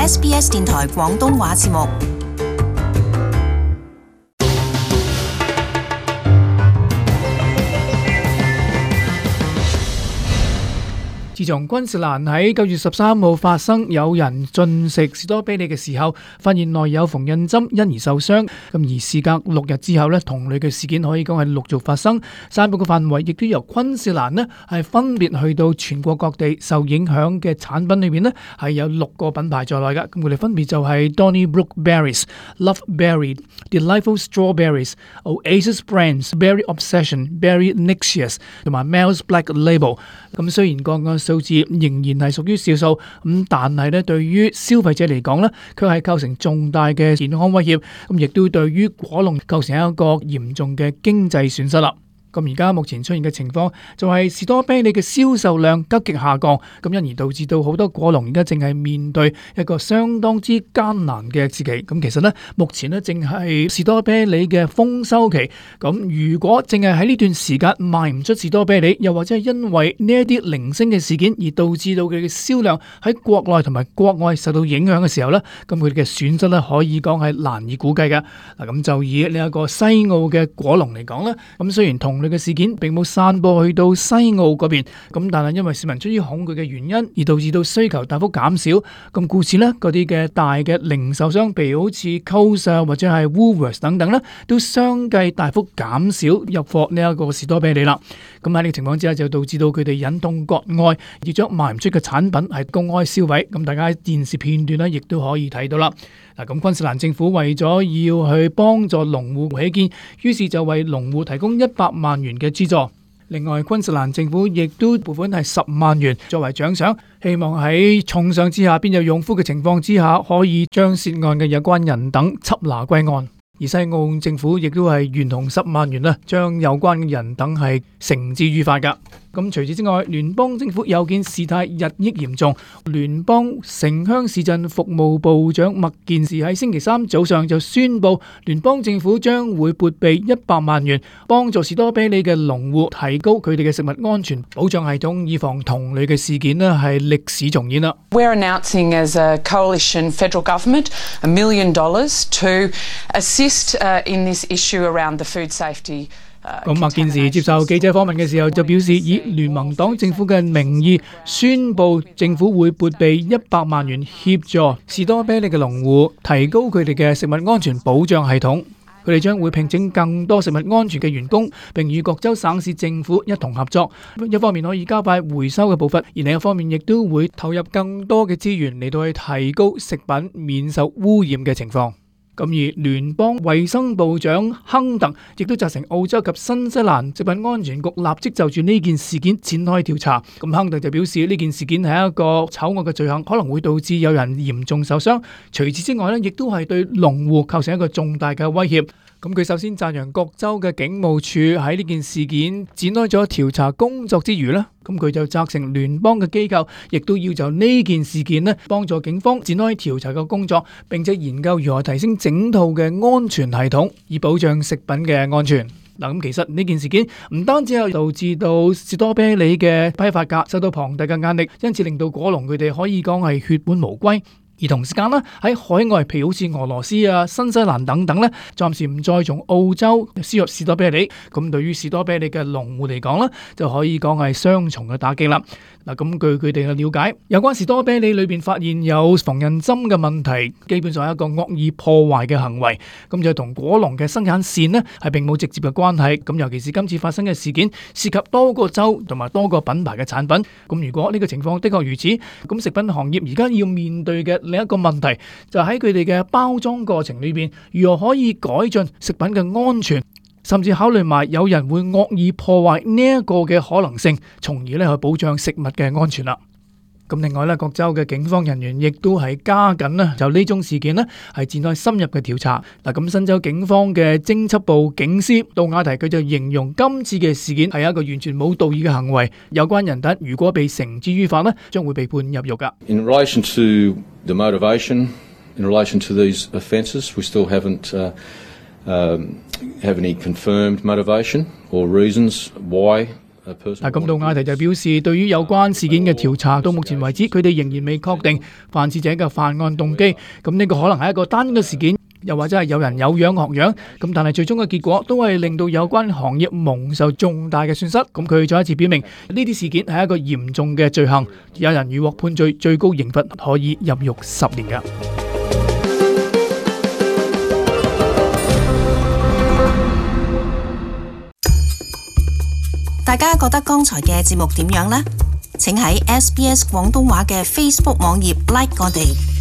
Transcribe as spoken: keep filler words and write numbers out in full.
S B S 電台廣東話節目。自從昆士蘭喺九月十三號發生有人進食士多啤梨嘅時候，發現內有縫紉針，因而受傷。咁而事隔六日之後咧，同類嘅事件可以講係陸續發生。散佈嘅範圍亦都由昆士蘭咧係分別去到全國各地。受影響嘅產品裏面咧係有六個品牌在內嘅。咁佢哋分別就係 Donnybrook Berries、Love Berry、Delightful Strawberries、Oasis Brands、Berry Obsession、Berry Nixious 同埋 Mel's Black Label。咁雖然個案數字仍然係屬於少數，咁但係咧對於消費者嚟講咧，佢係構成重大嘅健康威脅，咁亦都對於果農構成一個嚴重嘅經濟損失啦。咁而家目前出現嘅情況就係士多啤梨嘅銷售量急劇下降，咁因而導致到好多果農而家正係面對一個相當之艱難嘅時期。咁其實呢，目前呢正係士多啤梨嘅豐收期。咁如果淨係喺呢段時間賣唔出士多啤梨，又或者係因為呢一啲零星嘅事件而導致到佢嘅銷量喺國內同埋國外受到影響嘅時候呢，咁佢哋嘅損失呢可以講係難以估計嘅。嗱，咁就以呢一個西澳嘅果農嚟講呢，咁雖然同嘅事件並冇散播去到西澳嗰邊，咁但係因為市民出於恐懼嘅原因，而導致到需求大幅減少，咁故此呢，嗰啲嘅大嘅零售商，譬如好似 Coles 或者係 Woolworths 等等呢，都相繼大幅減少入貨呢一個士多啤梨啦。咁喺呢個情況之下，就導致到佢哋忍痛割愛，而將賣唔出嘅產品係公開銷毀。咁大家喺電視片段呢，亦都可以睇到啦。嗱，咁昆士蘭政府為咗要去幫助農戶起見，於是就為農戶提供一百萬元嘅資助。另外，昆士蘭政府亦都撥款係十萬元作為獎賞，希望喺重賞之下，邊有勇夫嘅情況之下，可以將涉案嘅有關人等緝拿歸案。而西澳政府亦都係懸紅十萬元啦，將有關嘅人等係繩之於法噶。咁除此之外，聯邦政府有見事態日益嚴重，聯邦城鄉市鎮服務部長麥健士喺星期三早上就宣布，聯邦政府將會撥備一百萬元，幫助士多啤梨嘅農戶提高佢哋嘅食物安全保障系統，以防同類嘅事件呢係歷史重演啦。We're announcing as a coalition federal government a million dollars to assist uh, in this issue around the food safety。咁麥健士接受記者訪問嘅時候就表示，以聯盟黨政府嘅名義宣布，政府會撥備一百萬元協助士多啤梨嘅農戶提高佢哋嘅食物安全保障系統。佢哋將會聘請更多食物安全嘅員工，並與各州省市政府一同合作。一方面可以加快回收嘅步伐，而另一方面亦都會投入更多嘅資源嚟到去提高食品免受污染嘅情況。咁而聯邦衛生部長亨特亦都責成澳洲及新西蘭食品安全局立即就住呢件事件展開調查。咁亨特就表示呢件事件係一個醜惡嘅罪行，可能會導致有人嚴重受傷。除此之外呢，亦都係對農戶構成一個重大嘅威脅。咁佢首先讚揚各州嘅警務處喺呢件事件展開咗調查工作之餘呢，咁佢就責成聯邦嘅機構亦都要就呢件事件呢幫助警方展開調查嘅工作，並且研究如何提升整套嘅安全系統，以保障食品嘅安全。嗱，咁其實呢件事件唔單止係導致到士多啤梨嘅批發價受到龐大嘅壓力，因此令到果農佢哋可以講係血本無歸。而同時間咧，喺海外，譬如好似俄羅斯啊、新西蘭等等咧，暫時唔再從澳洲輸入士多啤梨。咁對於士多啤梨嘅農戶嚟講咧，就可以講係雙重嘅打擊啦。嗱，咁據佢哋嘅了解，有關士多啤梨裏邊發現有縫紉針嘅問題，基本上係一個惡意破壞嘅行為。咁就同果農嘅生產線呢係並冇直接嘅關係。咁尤其是今次發生嘅事件，涉及多個州同埋多個品牌嘅產品。咁如果呢個情況的確如此，咁食品行業而家要面對嘅另一個問題，就喺佢哋嘅包裝過程裏邊，如何可以改進食品嘅安全，甚至考慮埋有人會惡意破壞呢一個嘅可能性，從而咧去保障食物嘅安全啦。咁另外咧，各州嘅警方人員亦都係加緊啦，就呢宗事件呢係展開深入嘅調查。嗱，咁新州警方嘅偵緝部警司杜亞提佢就形容今次嘅事件係一個完全冇道義嘅行為，有關人等如果被繩之於法呢，將會被判入獄噶。In relation to the motivation, in relation to these offences, we still haven't uh, um, have any confirmed motivation or reasons why 但咁杜亞提就表示，對於有關事件嘅調查，到目前為止，佢哋仍然未確定犯事者嘅犯案動機。咁呢個可能係一個單一嘅事件，又或者係有人有樣學樣。咁但係最終嘅結果都係令到有關行業蒙受重大嘅損失。咁佢再一次表明，呢啲事件係一個嚴重嘅罪行，有人如獲判罪，最高刑罰可以入獄十年㗎。大家覺得剛才嘅節目點樣呢？請喺 S B S 廣東話嘅 Facebook 網頁 like 我哋。